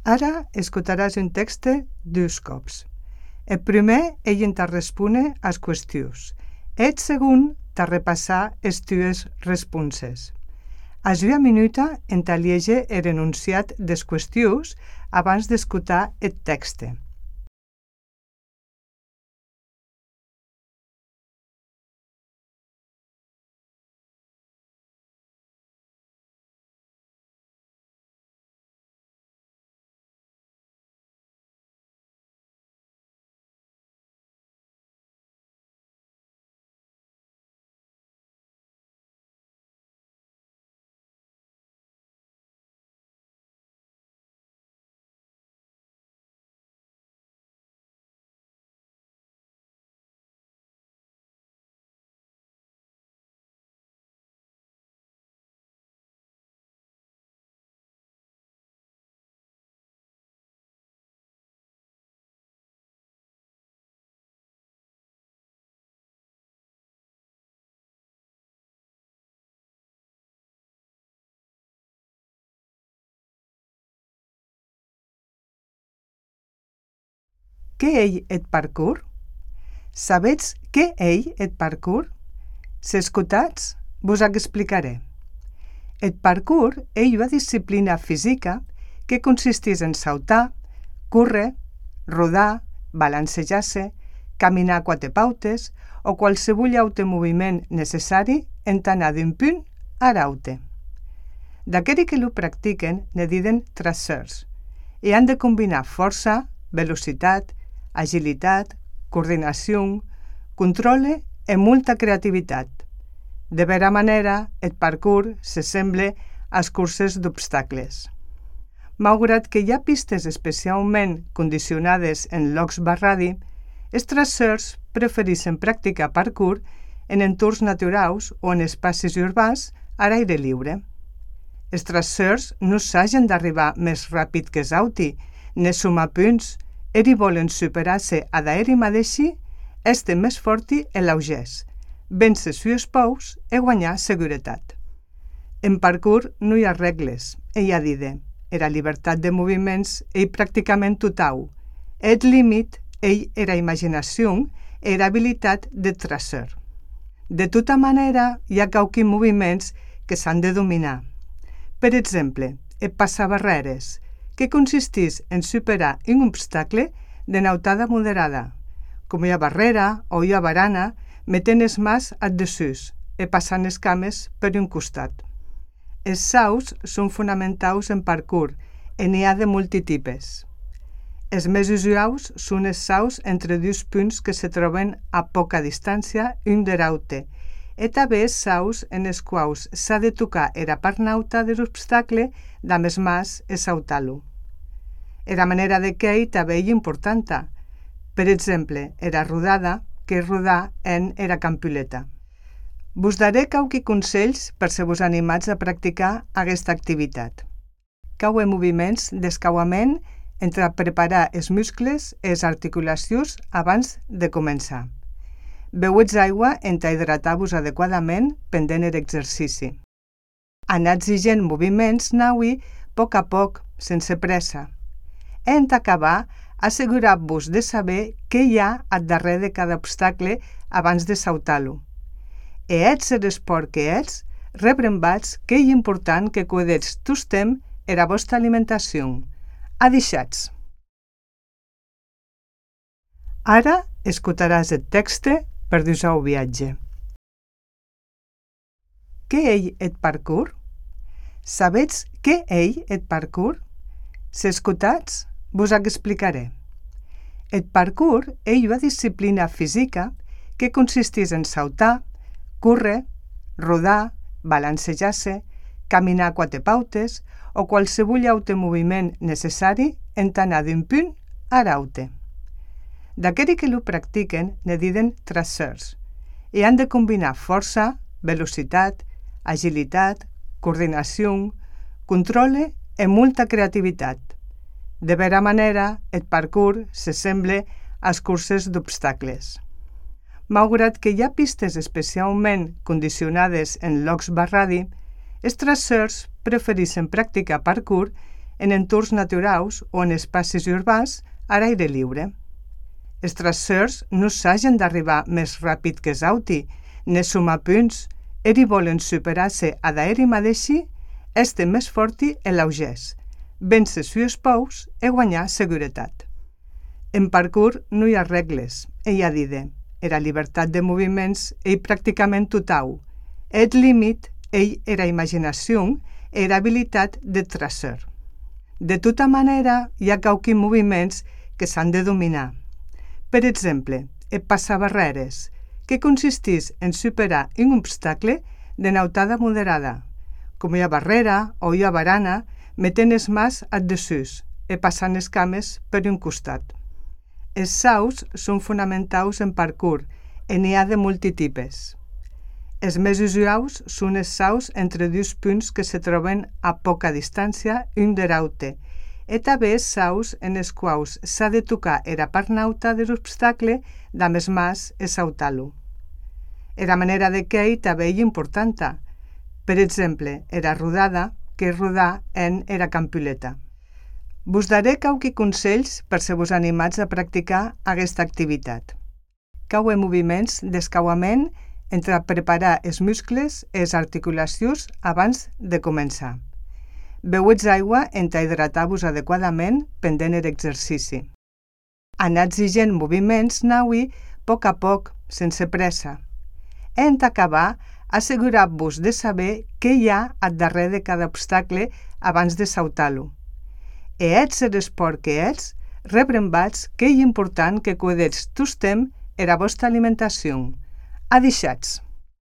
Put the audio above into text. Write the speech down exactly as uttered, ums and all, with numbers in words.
Ara escutaràs un text dos cops. El primer ell te respone as qüestions. El segon te repassar es tues responses. A una minuta en te liege el enunciat des qüestions abans d'escutar el text. Què ei eth parcours? Sabetz què ei eth parcours? S'escutatz? Vos ac explicaré. Eth parcours ei ua disciplina fisica que consistís en sautar, córrer, rodar, balancejar-se, caminar quatre pautes o qualsevol aute moviment necessari en anar d'un punt a l'aute. D'aqueri que lo practiquen ne diden traceurs e han de combinar força, velocitat, agilitat, coordinació, controle e molta creativitat. De vera manera, el parcours s'assemble às curses d'obstacles. Malgrat que hi ha pistes especialment condicionades en llocs barradi, els traceurs prefereixen practicar parcours en entorns naturals o en espais urbans a l'aire lliure. Els traceurs no s'hagen d'arribar més ràpid que els auti, ne sumar punts, eri volen superar-se a d'aeri mateixi, este més forti e l'augès, vèncer sues pous e guanyar seguretat. En parcours no hi ha regles, e hi ha dide, era llibertat de moviments ei pràcticament total, et límit ei era imaginació e era habilitat de tracer. De tota manera, hi ha quauqui moviments que s'han de dominar. Per exemple, el passabarreres, que consistís en superar un obstacle de nautada moderada, com hi ha barrera o hi ha barana, metent els mans ad desús e passant les cames per un costat. Els saus són fonamentals en parcours e n'hi ha de multitipes. Els més usuals són els saus entre dos punts que se troben a poca distància un de l'aute, e també els saus en els quals s'ha de tocar era part nauta de l'obstacle damb els mans e sautar-lo. Era manera de quei també és importanta. Per exemple, era rodada, que és rodar en era campuleta. Vos daré quauqui consells per se vos animats a practicar aquesta activitat. Caue moviments d'escauament entre preparar els muscles i les articulacions abans de començar. Beuetz aigua en hidratar-vos adequadament pendent l'exercici. Anatz higent moviments naui a poc a poc, sense pressa. En acabar, assegurar-vos de saber què hi ha al darrere de cada obstacle abans de sautar-lo. E ets l'esport que ets, rebrembats que és important que cuidetz tostem era vostra alimentació. Adixats! Ara escutaràs el text per dur-ho viatge. Què ei eth parcours? Sabetz què ei eth parcours? S'escutatz? Vos ac explicaré. El parcours és una disciplina fisica que consistís en sautar, córrer, rodar, balancejar-se, caminar quatre pautes o qualsevol aute moviment necessari en anar d'un punt a l'aute. D'aqueri que lo practiquen ne diden traceurs e han de combinar força, velocitat, agilitat, coordinació, controle e molta creativitat. De vera manera, el parcours s'assemble às curses d'obstacles. Malgrat que hi ha pistes especialment condicionades en llocs barradi, els traceurs prefereixen practicar parcours en entorns naturals o en espais urbans a l'aire lliure. Els tracers no s'hagen d'arribar més ràpid que els auti, ne som a punts, eri volen superar-se a d'aeri mateixi, este més forti e l'augès, vèncer sus pous e guanyar seguretat. En parkour no hi ha regles, ei a dir, era llibertat de moviments ei pràcticament total, et límit ei era imaginació e era habilitat de tracer. De tota manera, hi ha quauquin moviments que s'han de dominar. Per exemple, el passabarreres, que consistís en superar un obstacle de nautada moderada, com hi ha barrera o hi ha barana, metent els mans ad desús e passant les cames per un costat. Els salts són fonamentals en parkour e n'hi ha de multitipes. Els més usuals són els salts entre dos punts que se troben a poca distància un de l'altre, e també els salts en els quals s'ha de tocar era part nauta de l'obstacle damb els mans e saltar-lo. Era manera de quei també és important. Per exemple, era rodada, que és rodar en era campuleta. Vos daré quauqui consells per se vos animats a practicar aquesta activitat. Caue moviments d'escauament entre preparar els muscles i les articulacions abans de començar. Beuetz aigua entà hidratar-vos adequadament pendent l'exercici. Anar exigent moviments naui a poc a poc, sense pressa. En acabar, assegurar-vos de saber què hi ha al darrere de cada obstacle abans de saltar-lo. E ets l'esport que ets, rebrembats que és important que cuidetz tostem era vostra alimentació. Adixats!